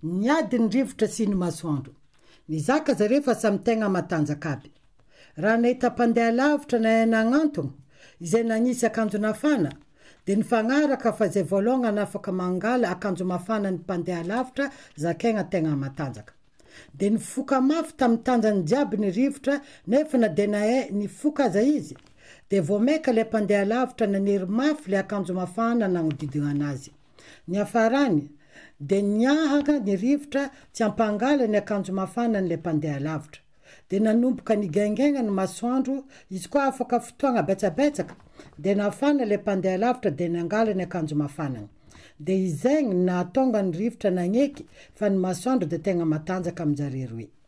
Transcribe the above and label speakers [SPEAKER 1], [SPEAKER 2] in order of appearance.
[SPEAKER 1] Niady ny rivotra sy ny masoandro. Nizaka zareo fa samy tegna matanjaka aby. Raha nahita mpandeha lavitra nahay nagnantogno, izay nagnisy akanjo nafana, dia nifagnaraka fa izay voalongany afaka mangala akanjo mafana ny mpandeha lavitra zakaigna tegna matanjaka. Dia nifoka mafy tamin'ny tanjany jiaby ny rivotra nefa na dia nahay nifoka aza izy, dia vao maika ilay mpandeha lavitra nanery mafy ilay akanjo mafana nagnodidigna anazy. Niafarany, dia niahaka ny rivotra tsy hampangala ny akanjo mafana an'ilay mpandeha lavitra. Dia nanomboka nigaingaina ny masoandro, izy koa afaka fotoagna betsabetsaka, dia nafana ilay mpandeha lavitra dia nangala ny akanjo mafanany. Dia izegny no nahatonga ny rivotra nagneky fa ny masoandro dia tegna matanjaka amin-jare roe.